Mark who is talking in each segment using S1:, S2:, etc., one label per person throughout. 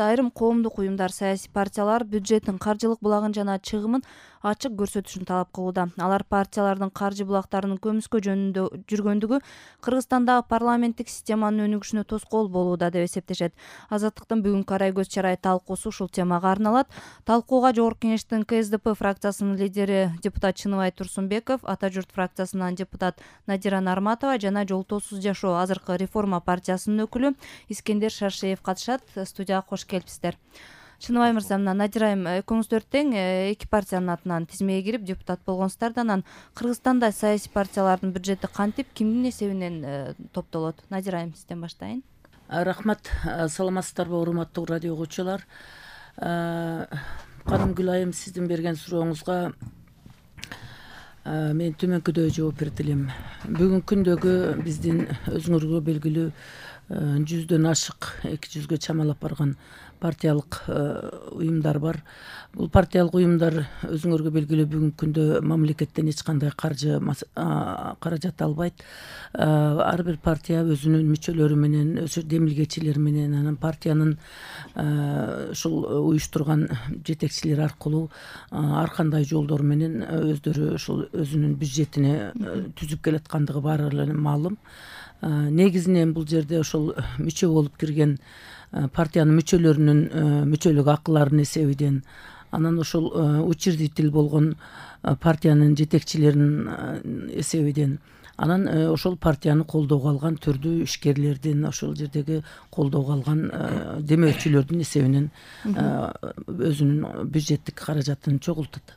S1: Айрым коомдук уюмдар, саясий партиялар бюджеттин каржылык булагын жана чыгымын ачык көрсөтүшүн талап кылууда. Алар партиялардын каржы булактарынын көмүскө жөнүндө жүргөндүгү Кыргызстандагы парламенттик системанын өнүгүшүнө тоскоол болууда деп эсептешет. Азаттыктын бүгүнкү арай көз чарай талкуусу ушул темага арналат. Талкууга Жогорку Кеңештин КСДП фракциясынын лидери депутат Чыныбай Турсунбеков, Ата журт фракциясынан депутат Надира Нарматова жана Жолтоосуз жашоо азыркы реформа партиясынын өкүлү Искендер Шаршеев катышат. Студияга кош келипсиздер. Чыныбай мырза, мына Надира айым, экөөңүздөр тең эки партиянын атынан тизмеге кирип депутат болгонсуздар да, анан Кыргызстанда саясий партиялардын бюджети кантип, кимдин эсебинен топтолот? Надира айым, сизден баштайын.
S2: Рахмат, саламатсыздарбы урматтуу радио угуучулар. Каным Гүлайым, сиздин берген сурооңузга мен төмөнкүдөй жооп берет элем. Бүгүнкү күндөгү биздин өзүңөргө белгилүү 100дөн ашык, 200гө чамалап барган партиялык уюмдар бар. Бул партиялык уюмдар өзүңөргө белгилүү бүгүнкү күндө мамлекеттен эч кандай каражат албайт. Ар бир партия өзүнүн мүчөлөрү менен, демилгечилери менен, анан партиянын ушул уюштурган жетекчилери аркылуу ар кандай жолдор менен өздөрү ушул өзүнүн бюджетине түзүп келаткандыгы баары эле маалым. Негизинен бул жерде ошол мүчө болуп кирген партиянын мүчөлөрүнүн мүчөлүк акыларынын эсебинен, анан ошол учредитель болгон партиянын жетекчилеринин эсебинен, анан ошол партияны колдоого алган түрдүү ишкерлердин, ошол жердеги колдоого алган демөөрчүлөрдүн эсебинен өзүнүн бюджеттик каражатын чогултат.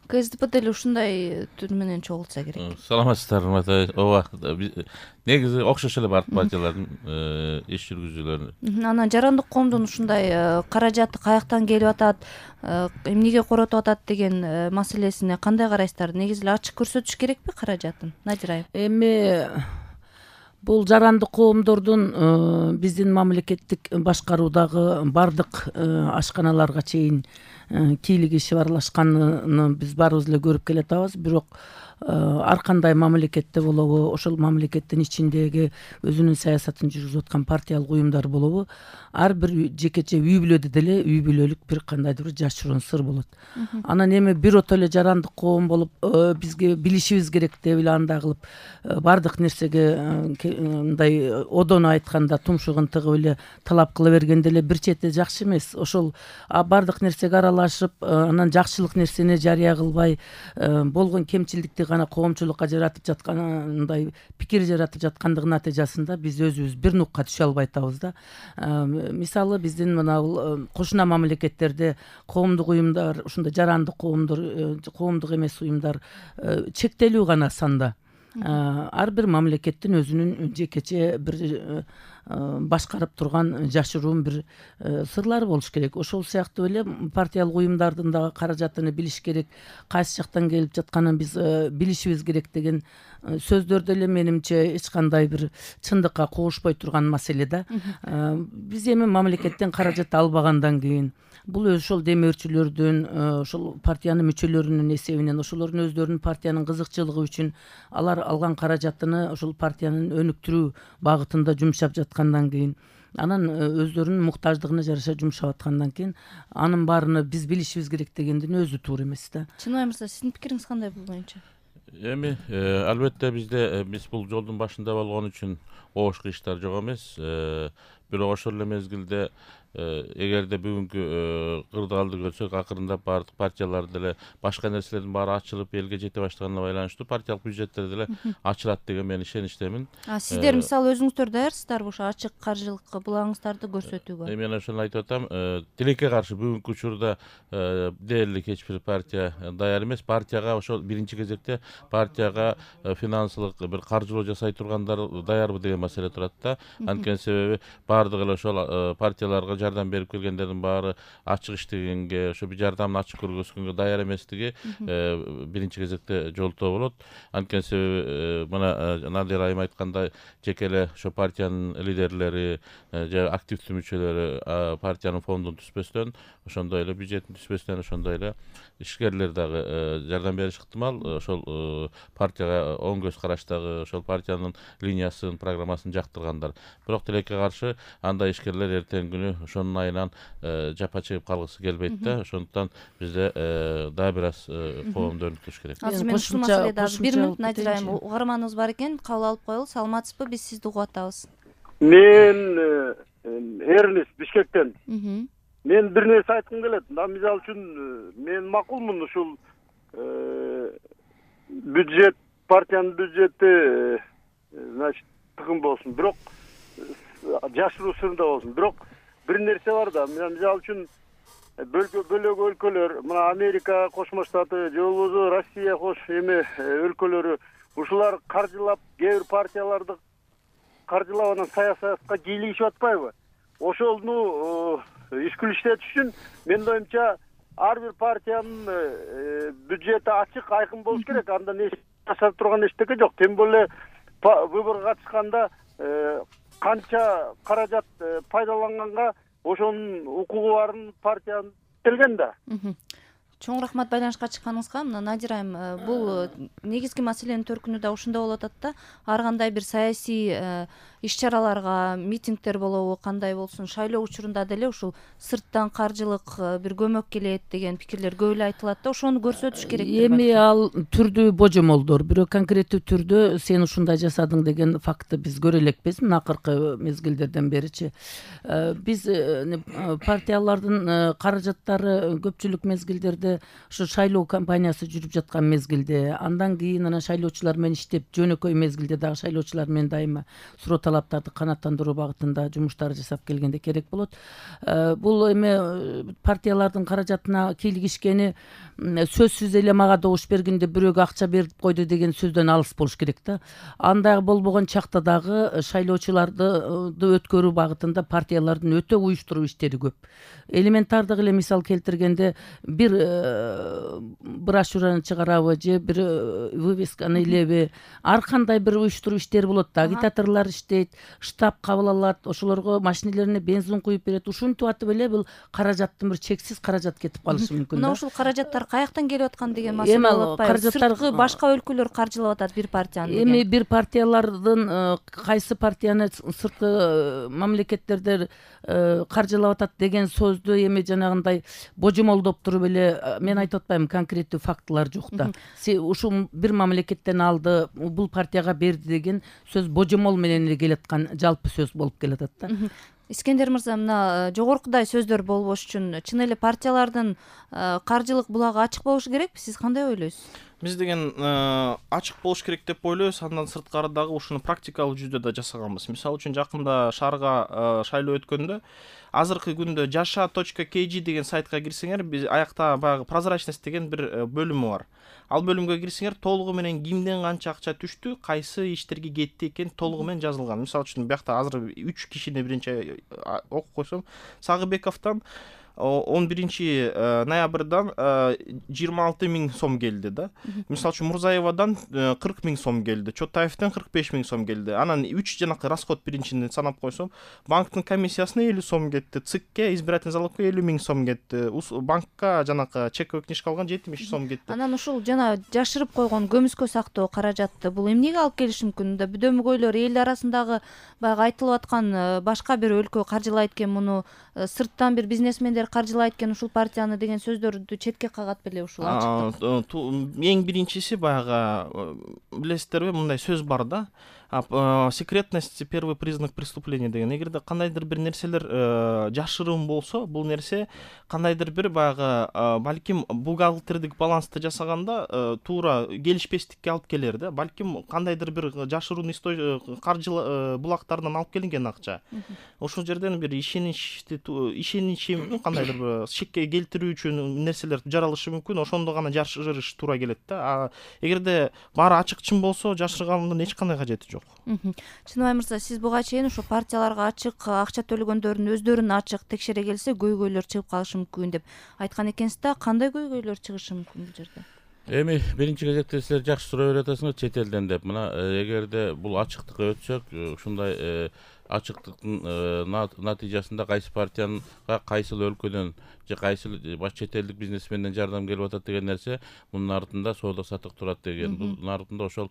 S1: КСДП деле ушундай түр менен чогултса керек.
S3: Саламатсыздарбы Атай? Ооба, негизи окшош эле бар партиялардын иш жүргүзүүлөрү.
S1: Анан жарандык коомдун ушундай каражаты каяктан келип атат, эмнеге коротуп атат деген маселесине кандай карайсыздар? Негизи эле ачык көрсөтүш керекпи каражатын? Надира айым.
S2: Эми бул жарандык коомдордун биздин мамлекеттик башкаруудагы бардык ашканаларга чейин кийлиги шыбарлашканын биз баарыбыз эле көрүп келатабыз. Бирок ар кандай мамлекетте болобу, ошол мамлекеттин ичиндеги өзүнүн саясатын жүргүзүп аткан партиялык уюмдар болобу, ар бир жекече үй бүлөдө деле үй бүлөлүк бир кандайдыр бир жашыруун сыр болот. Анан эми бирото эле жарандык коом болуп бизге билишибиз керек деп эле андай кылып бардык нерсеге мындай одоно айтканда тумшугун тыгып эле талап кыла берген деле бир чети жакшы эмес. Ошол бардык нерсеге аралашып, анан жакшылык нерсени жарыя кылбай, болгон кемчилдикти гана коомчулукка жаратып жаткандай пикир жаратып жаткандыгынын натыйжасында биз өзүбүз бир нукка түшө албай атабыз да. Мисалы биздин мына бул кошуна мамлекеттерде коомдук уюмдар, ушундай жарандык коомдор, коомдук эмес уюмдар чектелүү гана санда. Ар бир мамлекеттин өзүнүн жекече бир башкарып турган жашыруун бир сырлары болуш керек. Ошол сыяктуу эле партиялык уюмдардын дагы каражатыны билиш керек, кайсы жактан келип жатканын биз билишибиз керек деген сөздөрдө эле менимче эч кандай бир чындыкка куушпой турган маселе да. Биз эми мамлекеттен каражат албагандан кийин бул ошол демөөрчүлөрдүн, ошол партиянын мүчөлөрүнүн эсебинен, ошолордун өздөрүнүн партиянын кызыкчылыгы үчүн алар алган каражатыны ошол партиянын өнүктүрүү багытында жумшап жаткандан кийин, анан өздөрүнүн муктаждыгына жараша жумшап аткандан кийин анын баарыны биз билишибиз керек дегендин өзү туура эмес да.
S1: Чыныбай мырза, сиздин пикириңиз кандай бул боюнча?
S3: Эми албетте биз бул жолдун башында болгон үчүн оош кыйыштар жок эмес. Бирок ошол эле мезгилде эгерде бүгүнкү кырдаалды көрсөк, акырындап баардык партиялар деле башка нерселердин баары ачылып элге жете баштаганына байланыштуу партиялык бюджеттер деле ачылат деген мен ишеничтемин.
S1: Сиздер мисалы өзүңүздөр даярсыздарбы ошо ачык каржылык булагыңыздарды көрсөтүүгө?
S3: Мен ошону айтып атам. Тилекке каршы бүгүнкү учурда дээрлик эч бир партия даяр эмес. Партияга ошол биринчи кезекте партияга финансылык бир каржылоо жасай тургандар даярбы деген маселе турат да. Анткени себеби баардык эле ошол партияларга жардам берип келгендердин баары ачык иштегенге, ошо бир жардамын ачык көргөзгөнгө даяр эместиги биринчи кезекте жолтоо болот. Анткени себеби мына Надира айым айткандай, жеке эле ошо партиянын лидерлери же активдүү мүчөлөрү партиянын фондун түзбөстөн, ошондой эле бюджеттин түзбөстөн, ошондой эле ишкерлер дагы жардам бериши ыктымал. Ошол партияга оң көз караштагы, ошол партиянын линиясын, программасын жактыргандар. Бирок тилекке каршы андай ишкерлер эртеңки күнү ошонун айынан жапа чегип калгысы келбейт да. Ошондуктан бизде дагы бир аз коомду өнүктүрүш керек.
S1: Азыр мен ушул маселеде бир мүнөт Надир айым угарманыбыз бар экен, кабыл алып коелу. Саламатсызбы? Биз сизди угуп атабыз.
S4: Мен Эрнис Бишкектен. Мен бир нерсе айткым келет. Мисалы үчүн мен макулмун ушул бюджет, партиянын бюджети значит тыгын болсун, бирок жашыруу сырында болсун. Бирок бир нерсе бар да. Мисалы үчүн бөлөк өлкөлөр, мына Америка Кошмо Штаты же болбосо Россия өлкөлөрү ушулар каржылап, кээ бир партияларды каржылап анан саясатка кийлигишип атпайбы? Ошону ишкил иштетиш үчүн менин оюмча ар бир партиянын бюджети ачык, айкын болуш керек. Андан жасап турган эчтеке жок. Тем более выборго катышканда канча каражат пайдаланганга ошонун укугу барын партиянын келген да.
S1: Чоң рахмат байланышка чыкканыңызга. Мына Надир айым, бул негизги маселенин төркүнү да ушунда болуп атат да. Ар кандай бир саясий иш-чараларга, митингдер болобу, кандай болсун, шайлоо учурунда деле ушул сырттан каржылык бир көмөк келет деген пикирлер көп эле айтылат да. Ошону көрсөтүш керек.
S2: Эми ал түрдүү божомолдор, бирок конкреттүү түрдө сен ушундай жасадың деген фактты биз көрө элекпиз. Мына акыркы мезгилдерден беричи биз партиялардын каражаттары көпчүлүк мезгилдерде ушу шайлоо кампаниясы жүрүп жаткан мезгилде, андан кийин анан шайлоочулар менен иштеп, жөнөкөй мезгилде дагы шайлоочулар менен дайыма суроо талаптарды канааттандыруу багытында жумуштар жасап келгенде керек болот. Бул эми партиялардын каражатына кийлигишкени сөзсүз эле мага добуш бергенде бирөөгө акча берип койду деген сөздөн алыс болуш керек да. Андай болбогон чакта дагы шайлоочуларды өткөрүү багытында партиялардын өтө уюштуруу иштери көп. Элементардык эле мисал келтиргенде бир брошюраны чыгарабы же бир вывесканы илеби, ар кандай бир уюштуруу иштери болот да. Агитаторлор иштейт, штаб кабыл алат, ошолорго машинелерине бензин куюп берет. Ушинтип атып эле бул каражаттын бир чексиз каражат кетип калышы мүмкүн да.
S1: Мына ушул каражаттар каяктан келип аткан деген маселе болуп атпайбы? Сырткы башка өлкөлөр каржылап атат бир партияны деген.
S2: Эми бир партиялардын кайсы партияны сырткы мамлекеттерде каржылап атат деген сөздү эми жанагындай божомолдоп туруп эле мен айтып атпайм, конкреттүү фактылар жок да. Ушул бир мамлекеттен алды, бул партияга берди деген сөз божомол менен эле келаткан жалпы сөз болуп келатат да.
S1: Искендер мырза, мына жогоркудай сөздөр болбош үчүн чын эле партиялардын каржылык булагы ачык болушу керекпи? Сиз кандай ойлойсуз?
S5: Биз деген ачык болуш керек деп ойлойбуз. Андан сырткары дагы ушуну практикалык жүздө да жасаганбыз. Мисалы үчүн жакында шаарга шайлоо өткөндө азыркы күндө jasha.kg деген сайтка кирсеңер, биз аякта баягы прозрачность деген бир бөлүмү бар. Ал бөлүмгө кирсеңер, толугу менен кимден канча акча түштү, кайсы иштерге кетти экен толугу менен жазылган. Мисалы үчүн биякта азыр 3 кишини биринчи окуп койсом, Сагыбековдон 11 ноябрдан 26 000 сом келди да. Мисалы үчүн Мурзаевадан 40 000 сом келди, Чотаевден 45 000 сом келди. Анан 3 жанакы расход биринчини санап койсом, банктын комиссиясына 50 сом кетти, ЦИКке, избирательный залогко 50 000 сом кетти, банкка жанакы чековый книжка алган 70 сом кетти.
S1: Анан ушул жана жашырып койгон көмүскө сактоо каражатты бул эмнеге алып келиши мүмкүн да? Бүдөмгөйлөр эл арасындагы баягы айтылып аткан башка бир өлкө каржылайт экен муну, сырттан бир бизнесмендер каржылайт экен ушул партияны деген сөздөрдү четке кагат беле ушул ачыктык.
S5: Эң биринчиси баягы билесиздерби, мындай сөз бар да. Секретность — первый признак преступления деген. Эгерде кандайдыр бир нерселер жашыруун болсо, бул нерсе кандайдыр бир баягы балким бухгалтердик балансты жасаганда туура келишпестикке алып келер да. Балким кандайдыр бир жашыруун каржы булактарынан алып келинген акча. Ошол жерден бир ишеничти кандайдыр бир шекке келтирүү үчүн нерселер жаралышы мүмкүн. Ошондо гана жашырыш туура келет да. Эгерде баары ачык-чын болсо, жашыргандын эч кандай кажети жок.
S1: Чыныбай мырза, сиз буга чейин ошо партияларга ачык, акча төлөгөндөрдүн өздөрүн ачык текшере келсе көйгөйлөр чыгып калышы мүмкүн деп айткан экенсиз да. Кандай көйгөйлөр чыгышы мүмкүн бул жерде?
S3: Эми биринчи кезекте силер жакшы суроо берип атасыңар чет элден деп. Мына эгерде бул ачыктыкка өтсөк, ушундай ачыктыктын натыйжасында кайсы партияга кайсыл өлкөдөн же кайсыл чет элдик бизнесменден жардам келип атат деген нерсе мунун артында соода саттык турат деген, мунун артында ошол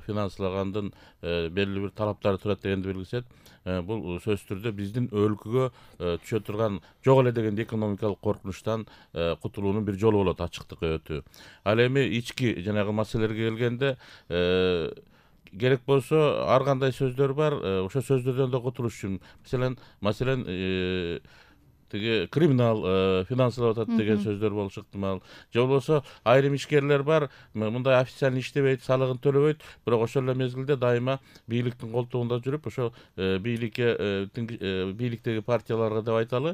S3: финанслагандын белгилүү бир талаптары турат дегенди белгисет. Бул сөзсүз түрдө биздин өлкөгө түшө турган жок эле дегенде экономикалык коркунучтан кутулуунун бир жолу болот ачыктыкка өтүү. Ал эми ички жанагы маселелерге келгенде керек болсо ар кандай сөздөр бар, ошо сөздөрдөн да кутулуш үчүн маселен тиги криминал финансылап атат деген сөздөр болушу ыктымал. Же болбосо айрым ишкерлер бар, мындай официально иштебейт, салыгын төлөбөйт, бирок ошол эле мезгилде дайыма бийликтин колтугунда жүрүп, ошо бийликтеги партияларга деп айталы,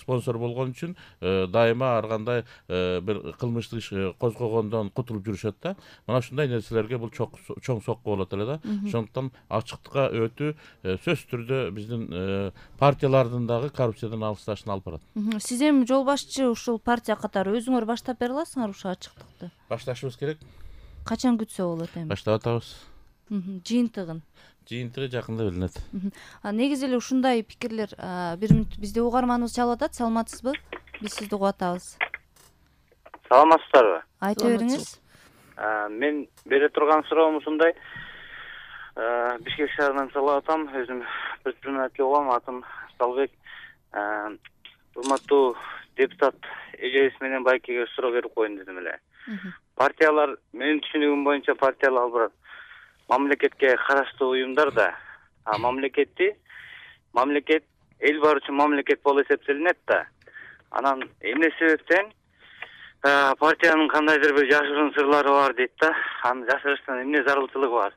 S3: спонсор болгон үчүн дайыма ар кандай бир кылмыштык иш козгогондон кутулуп жүрүшөт да. Мына ушундай нерселерге бул чоң сокку болот эле да. Ошондуктан ачыктыкка өтүү сөзсүз түрдө биздин партиялардын коррупциядан алысташына алып барат.
S1: Сиз эми жол башчы ушул партия катары өзүңөр баштап бере аласыңар ушул ачыктыкты?
S3: Башташыбыз керек.
S1: Качан күтсө болот эми?
S3: Баштап атабыз.
S1: Жыйынтыгын
S3: жакында билинет.
S1: Негизи эле ушундай пикирлер бир мүнөт бизде угарманыбыз чалып атат. Саламатсызбы? Биз сизди угуп атабыз.
S6: Саламатсыздарбы?
S1: Айта бериңиз.
S6: Мен бере турган суроом ушундай. Бишкек шаарынан чалып атам. Өзүм предприниматель болом. Атым Салбек. Урматтуу депутат эжебиз менен байкеге суроо берип коеюн дедим эле. Партиялар, менин түшүнүгүм боюнча партиялар ал бирок мамлекетке караштуу уюмдар да. Мамлекет эл бар үчүн мамлекет болуп эсептелинет да. Анан эмне себептен партиянын кандайдыр бир жашыруун сырлары бар дейт да. Аны жашырыштын эмне зарылчылыгы бар?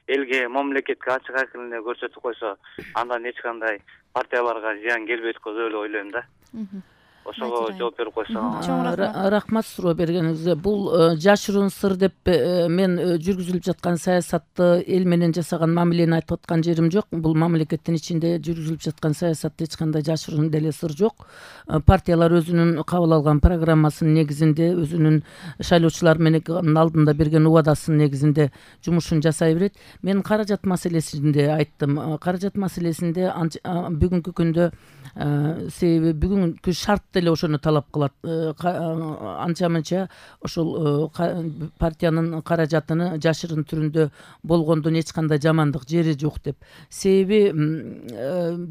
S6: Элге, мамлекетке ачык айкын эле көрсөтүп койсо, андан эч кандай партияларга зыян келбейт го деп эле ойлойм да. Ошого жооп берип койсоң.
S2: Рахмат суроо бергениңизге. Бул жашыруун сыр деп мен жүргүзүлүп жаткан саясатты эл менен жасаган мамилени айтып аткан жерим жок. Бул мамлекеттин ичинде жүргүзүлүп жаткан саясатта эч кандай жашыруун деле сыр жок. Партиялар өзүнүн кабыл алган программасынын негизинде, өзүнүн шайлоочулар менен алдында берген убадасынын негизинде жумушун жасай берет. Мен каражат маселесинде айттым. Каражат маселесинде бүгүнкү күндө себеби бүгүнкү шарт деле ошону талап кылат. Анча-мынча ошол партиянын каражатыны жашырын түрүндө болгондон эч кандай жамандык жери жок деп. Себеби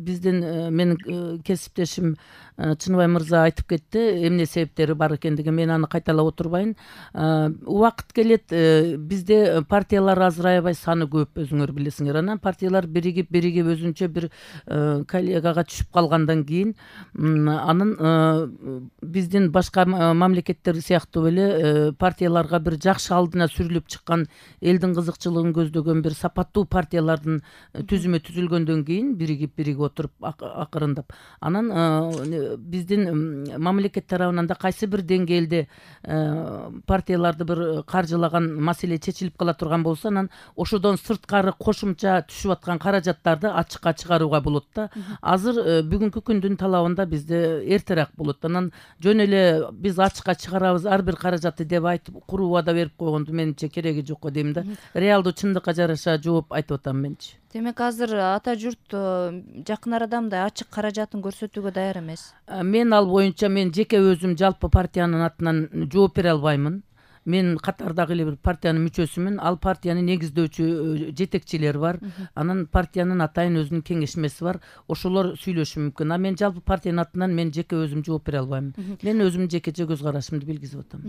S2: биздин менин кесиптешим Чыныбай мырза айтып кетти, эмне себептери бар экендиги. Мен аны кайталап отурбайын. Убакыт келет, бизде партиялар азырайбай, саны көп, өзүңөр билесиңер. Анан партиялар биригип өзүнчө бир коллегага түшүп калгандан кийин анын биздин башка мамлекеттер сыяктуу эле партияларга бир жакшы алдына сүрүлүп чыккан, элдин кызыкчылыгын көздөгөн бир сапаттуу партиялардын түзүмө түзүлгөндөн кийин биригип отуруп акырындап анан биздин мамлекет тарабынан да кайсы бир деңгээлде партияларды бир каржылаган маселе чечилип кала турган болсо, анан ошодон сырткары кошумча түшүп аткан каражаттарды ачыкка чыгарууга болот да. Азыр бүгүнкү күндүн талабында бизде эртерээк болот. Анан жөн эле биз ачыкка чыгарабыз ар бир каражатты деп айтып куруу убада берип койгондун менимче кереги жок го дейм да. Реалдуу чындыкка жараша жооп айтып атам менчи.
S1: Демек азыр ата журт жакын арада мындай ачык каражатын көрсөтүүгө даяр эмес.
S2: Мен ал боюнча мен жеке өзүм жалпы партиянын атынан жооп бере албаймын. Мен катардагы эле бир партиянын мүчөсүмүн. Ал партияны негиздөөчү жетекчилер бар. Анан партиянын атайын өзүнүн кеңешмеси бар. Ошолор сүйлөшүшү мүмкүн. Мен жалпы партиянын атынан мен жеке өзүм жооп бере албайм. Мен өзүмдүн жекече көз карашымды билгизип атам.